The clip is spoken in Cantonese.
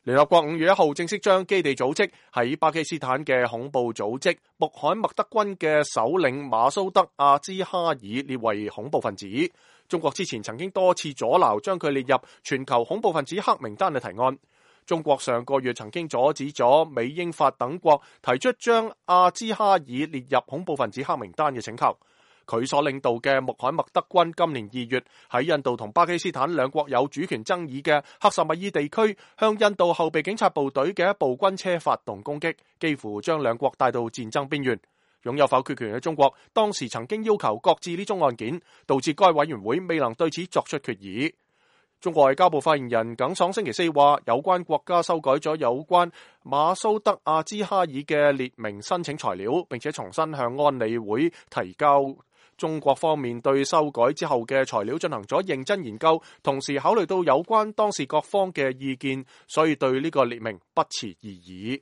聯合國5月1號正式將基地組織喺巴基斯坦嘅恐怖組織穆罕默德軍嘅首領馬蘇德·阿茲哈爾列為恐怖分子。中國之前曾經多次阻撓將佢列入全球恐怖分子黑名單嘅提案。中國上個月曾經阻止咗美、英、法等國提出將阿茲哈爾列入恐怖分子黑名單嘅請求。佢所領導嘅穆罕默德軍今年2月喺印度同巴基斯坦兩國有主權爭議嘅克什米爾地區，向印度後備警察部隊嘅一部軍車發動攻擊，幾乎將兩國帶到戰爭邊緣。擁有否決權嘅中國當時曾經要求擱置呢宗案件，導致該委員會未能對此作出決議。中國外交部發言人耿爽星期四話，有關國家修改咗有關馬蘇德·阿茲哈爾嘅列明申請材料，並且重新向安理會提交。中國方面對修改之後嘅材料進行咗認真研究，同時考慮到有關當事各方嘅意見，所以對呢個列明不持異議。